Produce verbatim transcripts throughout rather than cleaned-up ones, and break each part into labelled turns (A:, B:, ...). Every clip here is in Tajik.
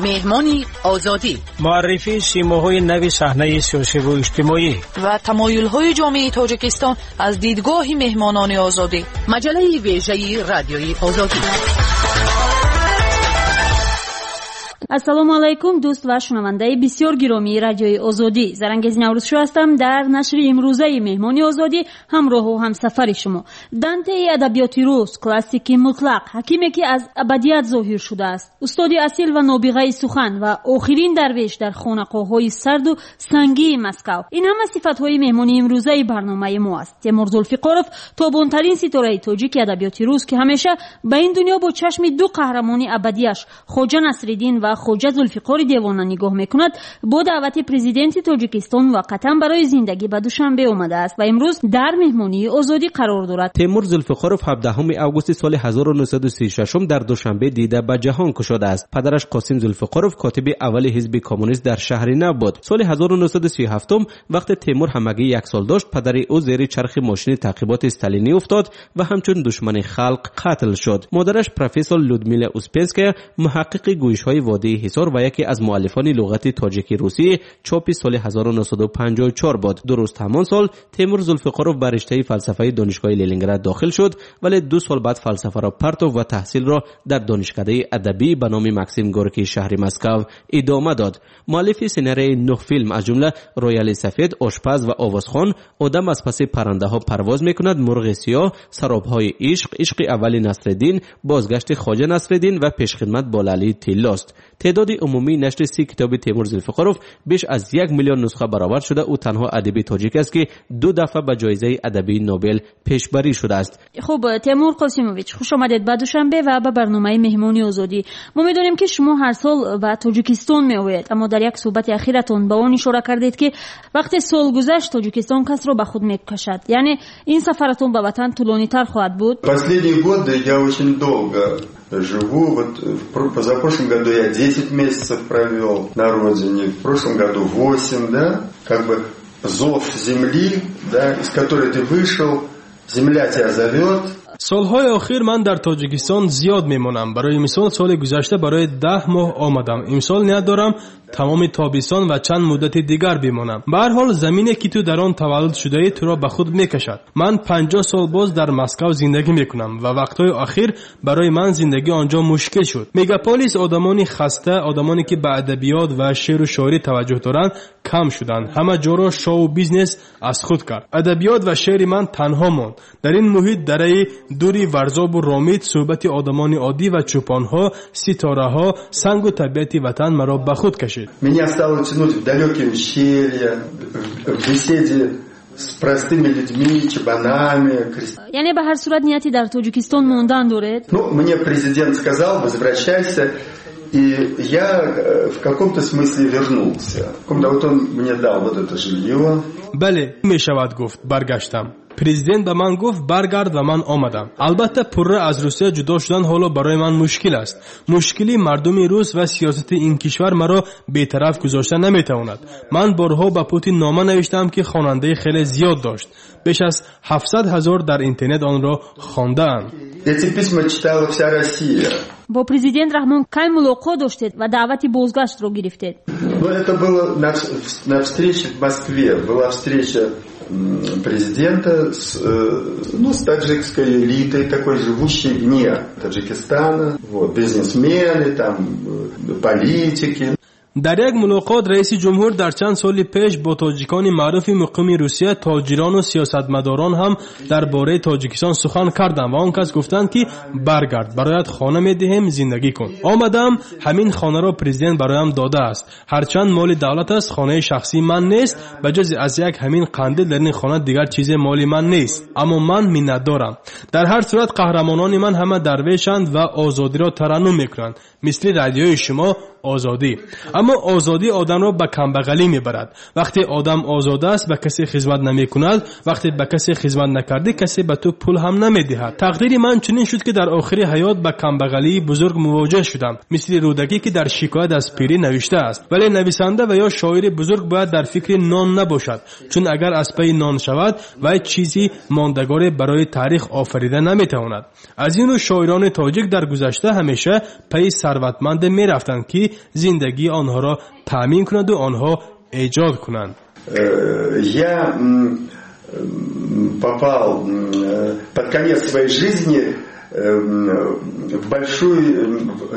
A: Меҳмони Озодӣ.
B: Муаррифии симоҳои нави саҳнаи сиёсиву иҷтимоӣ
C: ва тамоюлҳои ҷомеаи Тоҷикистон аз дидгоҳи меҳмонони Озодӣ.
A: Маҷаллаи вежаи Радиои Озодӣ.
D: Ассалому алайкум, дӯст ва шунавандаи бисёр гиромии Радиои Озодӣ. Зарангез Наврӯзшо ҳастам. Дар нашри имрӯзаи Меҳмони Озодӣ ҳамроҳу ҳамсафари шумо. Дантеи адабиёти рус, классики мутлақ, ҳакиме ки аз абадият зоҳир шудааст, устоди асил ва нобиғаи сухан ва охирин дарвеш дар хонақоҳҳои сарду сангии Москав. Ин ҳама сифатҳои меҳмони имрӯзаи барномаи мо аст. Темур Зулфиқоров, тобонтарин ситораи тоҷики адабиёти рус, ки ҳамеша ба ин дунё бо чашми ду қаҳрамони абадияш Хоҷа Насриддин ва Хоҷа Зулфиқори девона нигоҳ мекунад, бо даъвати президенти Тоҷикистон муваққатан барои зиндагӣ ба Душанбе омадааст ва имрӯз дар меҳмонии Озодӣ қарор дорад.
E: Темур Зулфиқоров ҳабдаҳуми августи соли ҳазору нӯҳсаду сию шашум дар Душанбе дида ба ҷаҳон кушодааст. Падараш Қосим Зулфиқоров котиби аввали ҳизби коммунист дар шаҳри нав буд. Соли ҳазору нӯҳсаду сию ҳафтум вақте Темур ҳамагӣ як сол дошт, падари ӯ зери чархи мошини таъқиботи сталинӣ уфтод ва ҳамчун душмани халқ қатл шуд. Модараш профессор Людмила Успенская, муҳаққиқи гӯйишҳои водии Ҳисор ва яке аз муаллифони луғати тоҷики русӣ чопи соли ҳазору нӯҳсаду панҷоҳу чор буд. Дуруст ҳамон сол Темур Зулфиқоров ба риштаи фалсафаи донишгоҳи Ленинград дохил шуд, вале ду сол баъд фалсафаро партов ва таҳсилро дар донишкадаи адабӣ ба номи Максим Горький шаҳри Москав идома дод. Муаллифи сценарияи нӯҳ филм, аз ҷумла Рояли сафед, Ошпаз ва овозхон, Одам аз паси паррандаҳо парвоз мекунад, Мурғи сиёҳ, Саробҳои ишқ, Ишқи аввали Насреддин, Бозгашти Хоҷа Насреддин ва Пешхидмат бо лаъли тиллост. Теъдоди умумии нашри си китоби Темур Зулфиқоров беш аз як миллион нусха баровард шуда, ӯ танҳо адиби тоҷик аст, ки ду дафъа ба ҷоизаи адабии Нобел пешбарӣ шудааст.
D: Хуб, Темур Қосимович, хуш омадед ба Душанбе ва ба барномаи Меҳмони Озодӣ. Мо медонем, ки шумо ҳар сол ба Тоҷикистон меоед, аммо дар як суҳбати ахиратон ба он ишора кардед, ки вақте сол гузашт, Тоҷикистон касро ба худ мекашад. Яъне ин сафаратон ба ватан тӯлонитар хоҳад буд?
F: Последние годы я очень долго живу. Вот в позапрошлом году я десять месяцев провел на родине, в прошлом году восемь, да, как бы зов земли, да, из которой ты вышел, земля тебя зовет.
G: Солҳои охир ман дар Тоҷикистон зиёд мемонам. Барои мисол, соли гузашта барои даҳ моҳ омадам. Имсол ният дорам тамоми тобистон ва чанд муддати дигар бимонам. Ба ҳар ҳол, замине ки ту дар он таваллуд шудаӣ, туро ба худ мекашад. Ман панҷоҳ сол боз дар Москав зиндагӣ мекунам ва вақтҳои охир барои ман зиндагӣ он ҷо мушкил шуд. Мегаполис одамони хаста, одамоне ки ба адабиёт ва шеъру шоирӣ таваҷҷӯҳ доранд, кам шуданд. Ҳама ҷоро шоу бизнес аз худ кард. Адабиёт ва шеъри ман танҳо монд. Дар ин муҳит дараи дури Варзобу Ромит, суҳбати одамони оддӣ ва чӯпонҳо, ситораҳо, сангу табиати ватан маро ба худ кашид.
F: Меня стало тянуть в далекие ущелья, в беседе с простыми людьми, чабанами.
D: Яъне ба ҳар сурат нияти дар Тоҷикистон мондан доред?
F: Ну, мне президент сказал: возвращайся, и я в каком-то смысле вернулся. Вот он мне дал вот это жилье.
G: Бале, мешавад гуфт, баргаштам. Президент ба ман гуфт: баргард, ва ман омадам. Албатта, пурра аз Русия ҷудо шудан ҳоло барои ман мушкил аст. Мушкили мардуми рус ва сиёсати ин кишвар маро бетараф гузошта наметавонад. Ман борҳо ба Путин нома навиштаам, ки хонандаи хеле зиёд дошт. Беш аз ҳафтсад ҳазор дар интернет онро хондаанд.
F: Эти письма читала вся Россия.
D: Бо президент Раҳмон кай мулоқот доштед ва даъвати бозгаштро гирифтед?
F: Ну, это было на, на встрече в Москве. Была встреча президента с, ну, с таджикской элитой, такой живущей вне Таджикистана, вот, бизнесмены, там, политики.
G: Дар як мулоқот раиси ҷумҳур дар чанд соли пеш бо тоҷикони маъруфи муқими Русия, тоҷирону сиёсатмадорон ҳам дар бораи Тоҷикистон сухан кардам ва он кас гуфтанд, ки баргард, бароят хона медиҳем, зиндагӣ кун. Омадам. Ҳамин хонаро президент бароям додааст. Ҳарчанд моли давлат аст, хонаи шахсии ман нест. Ба ҷуз аз як ҳамин қандил дар ин хона дигар чизе моли ман нест, аммо ман миннатдорам. Дар ҳар сурат, қаҳрамонони ман ҳама дарвешанд ва озодиро тараннум мекунанд, мисли радиои шумо Озодӣ. Аммо озодӣ одамро ба камбағалӣ мебарад. Вақте одам озод аст, ба касе хизмат намекунад. Вақте ба касе хизмат накардӣ, касе ба ту пул ҳам намедиҳад. Тақдири ман чунин шуд, ки дар охири ҳаёт ба камбағалии бузург мувоҷеҳ шудам, мисли Рӯдакӣ, ки дар шикоят аз пирӣ навиштааст. Вале нависанда ва ё шоири бузург бояд дар фикри нон набошад, чун агар аз пайи нон шавад, вай чизи мондагоре барои таърих офарида наметавонад. Аз ин рӯ шоирони тоҷик дар гузашта ҳамеша пайи сарватманде мерафтанд, ки зиндагии онҳоро таъмин кунаду онҳо эҷод кунанд.
F: Я попал под конец своей жизни в большую,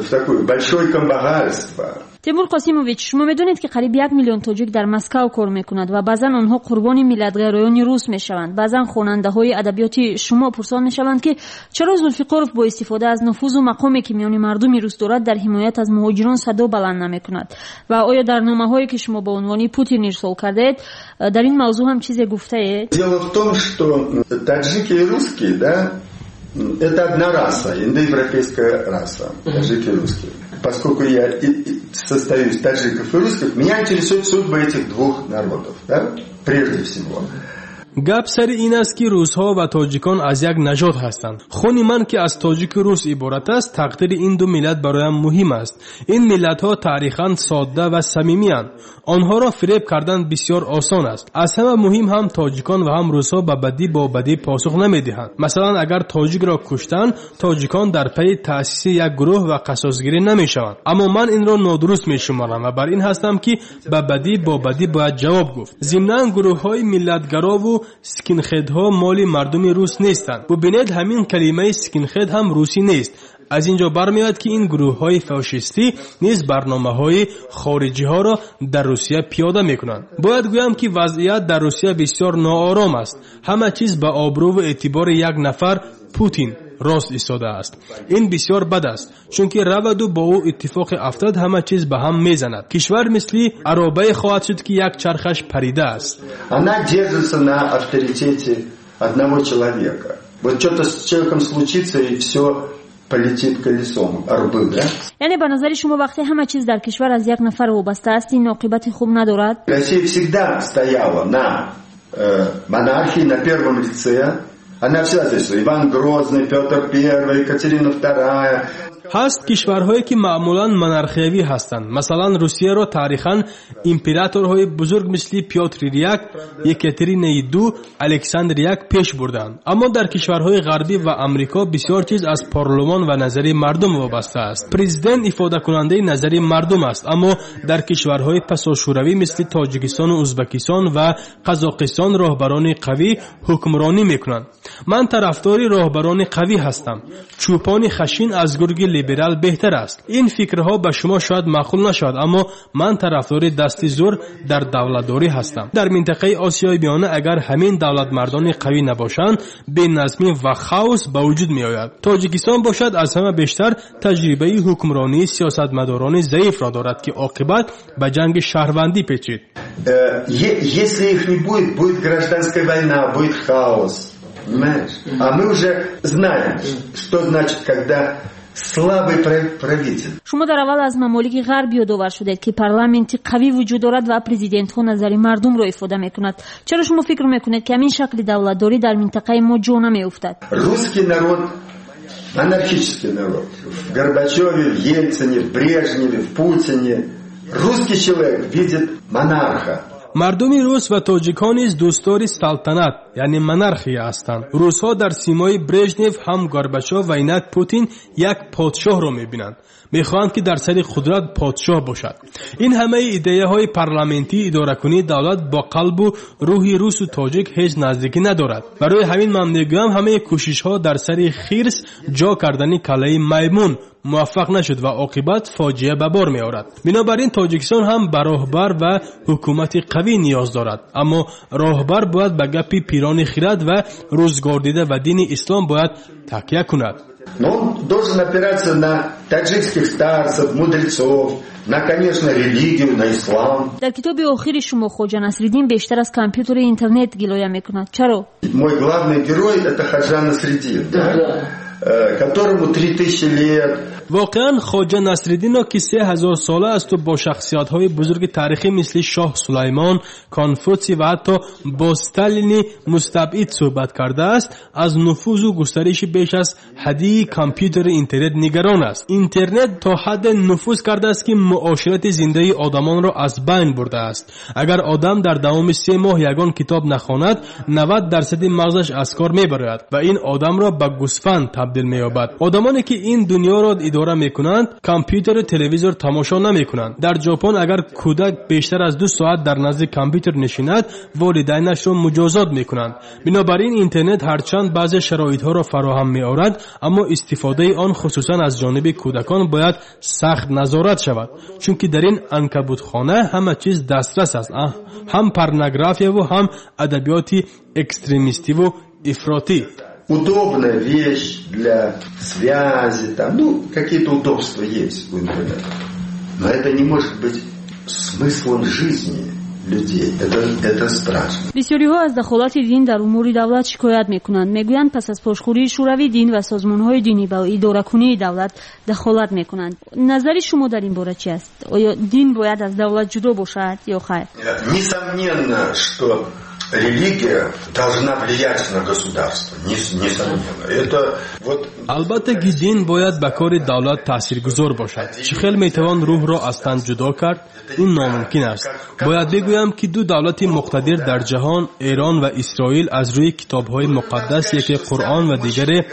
F: в такое большое камбағальство.
D: Темур Қосимович, шумо медонед, ки қариб як миллион тоҷик дар Москав кор мекунад ва баъзан онҳо қурбони миллатгароёни рус мешаванд. Баъзан хонандаҳои адабиёти шумо пурсон мешаванд, ки чаро Зулфиқоров бо истифода аз нуфузу мақоме, ки миёни мардуми рус дорад, дар ҳимоят аз муҳоҷирон садо баланд намекунад ва оё дар номаҳое, ки шумо ба унвони Путин ирсол кардаед, дар ин мавзӯъ ҳам чизе гуфтаед?
F: Дело в том, что таджики и русские, да, это одна раса, индоевропейская раса, таджики и русские. Поскольку я состою из таджиков и русских, меня интересует судьба этих двух народов, да, прежде всего.
G: Гап сари ин аст, ки русҳо ва тоҷикон аз як нажод ҳастанд. Хуни ман, ки аз тоҷику рус иборат аст, тақдири ин ду миллат бароям муҳим аст. Ин миллатҳо таърихан содда ва самимиянд. Онҳоро фиреб кардан бисёр осон аст. Аз ҳама муҳим, ҳам тоҷикон ва ҳам русҳо ба бадӣ бо бадӣ посух намедиҳанд. Масалан, агар тоҷикро куштанд, тоҷикон дар пайи таъсиси як гурӯҳ ва қасосгирӣ намешаванд. Аммо ман инро нодуруст мешуморам ва бар ин ҳастам, ки ба бадӣ бо бадӣ бояд ҷавоб гуфт. Зимнан, гурӯҳҳои миллатгарову скинхедҳо моли мардуми рус нестанд. Бубинед, ҳамин калимаи скинхед ҳам русӣ нест. Аз ин ҷо бармеояд, ки ин гурӯҳҳои фашистӣ низ барномаҳои хориҷиҳоро дар Русия пиёда мекунанд. Бояд гӯям, ки вазъият дар Русия бисёр ноором аст. Ҳама чиз ба обрӯву эътибори як нафар, Путин, рост истодааст. Ин бисёр бад аст, чунки раваду бо ӯ иттифоқи афтад, ҳама чиз ба ҳам мезанад. Кишвар мисли аробае хоҳад шуд, ки як чархаш паридааст.
F: Она держится на авторитете одного человека. Вот что-то с человеком случится, и все полетит колесом арбы, да?
D: Яъне ба назари шумо, вақте ҳама чиз дар кишвар аз як нафар вобаста аст, ин оқибати хуб надорад?
F: Россия всегда стояла на э, монархии, на первом лице. Она всегда, то есть Иван Грозный, Петр Первый, Екатерина Вторая.
G: Ҳаст кишварҳое, ки маъмулан монархиявӣ ҳастанд. Масалан, Русияро таърихан императорҳои бузург мисли Пётри як, Екатеринаи ду, Александр як пеш бурданд. Аммо дар кишварҳои ғарбӣ ва Амрико бисёр чиз аз парлумон ва назари мардум вобаста аст. Президент ифодакунандаи назари мардум аст. Аммо дар кишварҳои пасошӯравӣ мисли Тоҷикистону Ӯзбекистон ва Қазоқистон роҳбарони қавӣ ҳукмронӣ мекунанд. Ман тарафдори роҳбарони қавӣ ҳастам. Чӯпони хашин аз гурги либерал беҳтар аст. Ин фикрҳо ба шумо шояд маъқул нашавад, аммо ман тарафдори дасти зӯр дар давлатдорӣ ҳастам. Дар минтақаи Осиёи Миёна агар ҳамин давлатмардони қавӣ набошанд, беназмӣ ва хаос ба вуҷуд меояд. Тоҷикистон бошад, аз ҳама бештар таҷрибаи ҳукмронии сиёсатмадорони заифро дорад, ки оқибат ба ҷанги шаҳрвандӣ печид.
F: Э, если их не будет, будет гражданская война, будет хаос. Понимаешь? А мы уже знаем, что значит, когда слабый правитель.
D: Шумо дар аввал аз мамолики ғарб ёдовар шудед, ки парламенти қавӣ вуҷуд дорад ва президентҳо назари мардумро ифода мекунад. Чаро шумо фикр мекунед, ки ҳамин шакли давлатдорӣ дар минтақаи мо ҷо намеуфтад?
F: Русский народ — монархический народ. В Горбачеве, в Ельцине, в Брежневе, в Путине русский человек видит монарха.
G: Мардуми рус ва тоҷикон низ дӯстдори салтанат, яъне монархия ҳастанд. Русҳо дар симои Брежнев, ҳам Горбачов ва инак Путин як подшоҳро мебинанд. Мехоҳанд, ки дар сари қудрат подшоҳ бошад. Ин ҳамаи идеяҳои парламентии идоракунии давлат бо қалбу рӯҳи русу тоҷик ҳеҷ наздикӣ надорад. Барои ҳамин ман мегӯям, ҳамаи кӯшишҳо дар сари хирс ҷо кардани каллаи маймун муваффақ нашуд ва оқибат фоҷиа ба бор меорад. Бинобар ин Тоҷикистон ҳам ба роҳбар ва ҳукумати қавӣ ниёз дорад. Аммо роҳбар бояд ба гапи пирони хирад ва рӯзгордида ва дини ислом бояд такя кунад.
F: Но он должен опираться на таджикских старцев, мудрецов, на, конечно, религию, на ислам.
D: Дар китоби охири шумо Хоҷа Насриддин бештар аз компютери интернет гилоя мекунад. Чаро?
F: Мой главный герой — это Ходжа Насреддин. Да? Да. которому три тысячи лет.
G: Воқеан Хоҷа Насриддинро, ки се ҳазор сола асту бо шахсиятҳои бузурги таърихӣ мисли шоҳ Сулаймон, Конфутсий ва ҳатто бо Сталини мустабид суҳбат кардааст, аз нуфузу густариши беш аз ҳаддии компютери интернет нигарон аст. Интернет то ҳадде нуфуз кардааст, ки муоширати зиндаи одамонро аз байн бурдааст. Агар одам дар давоми се моҳ ягон китоб нахонад, навад дарсади мағзаш аз кор мебарояд ва ин одамро ба гӯсфанд табдил меёбад. Одамоне ки ин дунёро идора мекунанд, компютеру телевизор тамошо намекунанд. Дар Ҷопон агар кӯдак бештар аз ду соат дар назди компютер нишинад, волидайнашро муҷозот мекунанд. Бинобар ин интернет ҳарчанд баъзе шароитҳоро фароҳам меорад, аммо истифодаи он хусусан аз ҷониби кӯдакон бояд сахт назорат шавад, чунки дар ин анкабутхона ҳама чиз дастрас аст, ҳам порнографияву ҳам адабиёти экстремистиву ифротӣ.
F: Удобная вещь для связи, там, ну, какие-то удобства есть у интернета. Но это не может быть смыслом жизни людей. Это, это страшно.
D: Бисёриҳо аз дахолати дин дар умури давлат шикоят мекунанд. Мегӯянд, пас аз пошхӯрии Шӯравӣ дин ва созмонҳои динӣ ба идоракунии давлат дахолат мекунанд. Назари шумо дар ин бора чи аст? Оё дин бояд аз давлат ҷудо бошад ё хайр?
F: Несомненно, что религия должна влиять на государство, несомненно. Это вот...
G: Албатта ки дин бояд ба кори давлат таъсиргузор бошад. Чӣ хел метавон рӯҳро аз тан ҷудо кард? Ин номумкин аст. Бояд бигӯям, ки ду давлати муқтадир дар ҷаҳон, Эрон ва Исроил, аз рӯи китобҳои муқаддас, яке Қуръон ва дигаре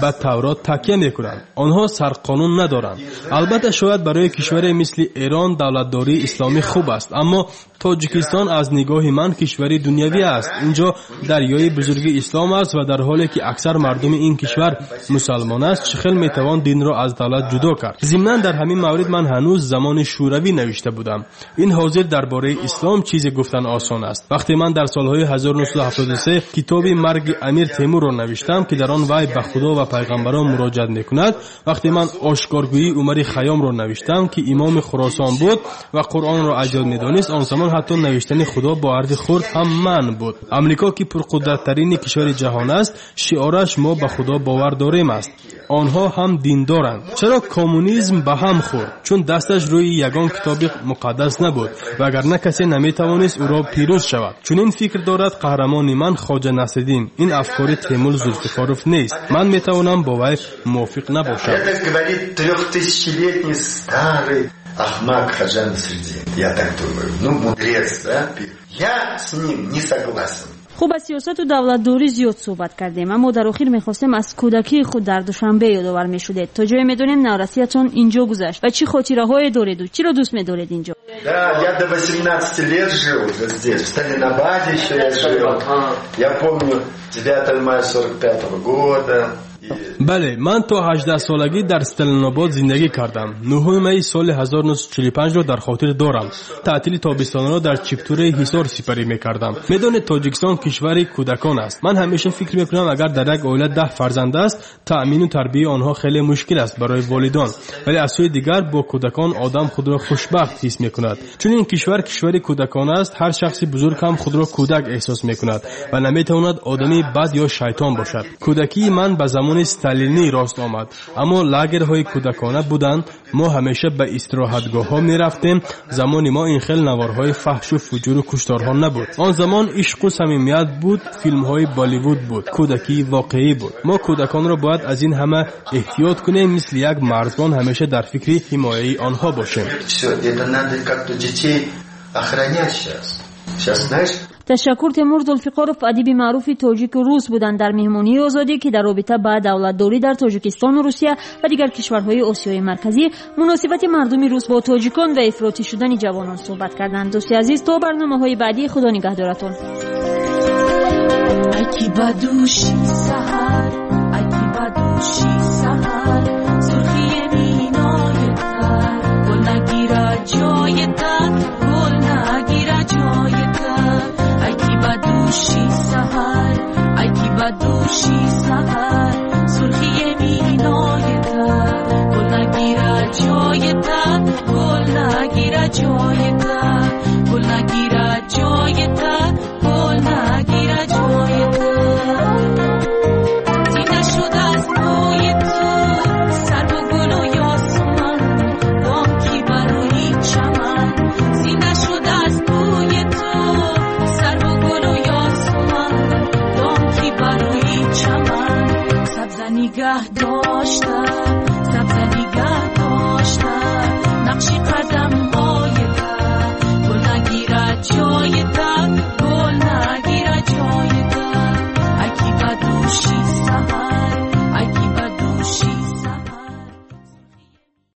G: ба Таврот такя мекунанд. Онҳо сарқонун надоранд. Албатта шояд барои кишваре мисли Эрон давлатдории исломӣ хуб аст, аммо Тоҷикистон аз нигоҳи ман кишвари дунявӣ аст. Инҷо дарёи бузурги ислом аст ва дар ҳоле ки аксар мардуми ин кишвар мусалмон аст, чӣ хел метавон динро аз давлат ҷудо кард? Зимнан дар ҳамин маврид ман ҳанӯз замони Шӯравӣ навишта будам. Ин ҳозир дар бораи ислом чизе гуфтан осон аст. Вақте ман дар солҳои ҳазору нӯҳсаду ҳафтоду се китоби Марги Амир Темурро навиштам, ки дар он вай ба Худо ва пайғамбарон муроҷиат мекунад, вақте ман ошкоргӯии Умари Хайёмро навиштам, ки имоми Хуросон буд ва Қуръонро аз ёд медонист, он замон ҳатто навиштани Худо бо ҳарфи хурд ҳам манъ буд. Амрико, ки пурқудраттарини кишвари ҷаҳон аст, шиораш мо ба Худо бовар дорем аст. Онҳо ҳам диндоранд. Чаро коммунизм ба ҳам хӯрд? Чун дасташ рӯи ягон китоби муқаддас набуд, вагарна касе наметавонист ӯро пирӯз шавад. Чунин фикр дорад қаҳрамони ман Хоҷа Насриддин. Ин афкори Темур Зулфиқоров нест. Ман метавонам бо вай мувофиқ набошам.
F: Это говорит трехтысячелетний старый Ахмак Ходжа Насреддин. Я так думаю. Ну, мудрец, да? Я с ним не согласен.
D: Хуб, аз сиёсату давлатдорӣ зиёд суҳбат кардем, аммо дар охир мехостем аз кӯдакии худ дар Душанбе ёдовар мешудед. То ҷое медонем, наврасиятон инҷо гузашт ва чӣ хотираҳое дореду чиро дӯст медоред инҷо?
F: Да, я до восемнадцати лет жил здесь, в Сталинабаде еще я жил. Я помню девятое мая сорок пятого года.
G: Бале, ман то ҳаждаҳсолагӣ дар Сталинобод зиндагӣ кардам. Нӯҳуми майи соли ҳазору нӯҳсаду чилу панҷро дар хотир дорам. Таътили тобистонаро дар Чиптураи Ҳисор сипарӣ мекардам. Медонед, Тоҷикистон кишвари кӯдакон аст. Ман ҳамеша фикр мекунам, агар дар як оила даҳ фарзанд аст, таъмину тарбияи онҳо хеле мушкил аст барои волидон. Вале аз сӯи дигар бо кӯдакон одам худро хушбахт ҳис мекунад. Чун ин кишвар кишвари кӯдакон аст, ҳар шахси бузург ҳам худро кӯдак эҳсос мекунад ва наметавонад одами бад ё шайтон бошад. Кӯдакии ман ба замони сталинӣ рост омад, аммо лагерҳои кӯдакона буданд. Мо ҳамеша ба истироҳатгоҳҳо мерафтем. Замони мо ин хел наворҳои фаҳшу фуҷуру кушторҳо набуд. Он замон ишқу самимият буд, филмҳои Болливуд буд, кӯдакии воқеӣ буд. Мо кӯдаконро бояд аз ин ҳама эҳтиёт кунем, мисли як марзбон ҳамеша дар фикри ҳимояи онҳо бошем.
F: Всё, это надо как-то детей охранять сейчас. Сейчас, знаешь,
D: Ташаккур. Темур Зулфиқоров, адиби маъруфи тоҷику рус буданд дар меҳмонии Озодӣ, ки дар робита ба давлатдорӣ дар Тоҷикистону Русия ва дигар кишварҳои Осиёи Марказӣ, муносибати мардуми рус бо тоҷикон ва ифротӣ шудани ҷавонон суҳбат карданд. Дӯсти азиз, то барномаҳои баъдӣ Худо нигаҳдоратон.
H: Ай ки ба дӯши саҳар, ай ки ба дӯши саҳар, сурхии минои тар, гул нагирад ҷои тар, гул нагирад ҷои тар. Ай ки ба дӯши саҳар, ай ки ба дӯши саҳар, сурхии минои тар, гул нагирад ҷои тар, гул нагирад ҷои тар, гул нагирад ҷои тар, гул нагирад.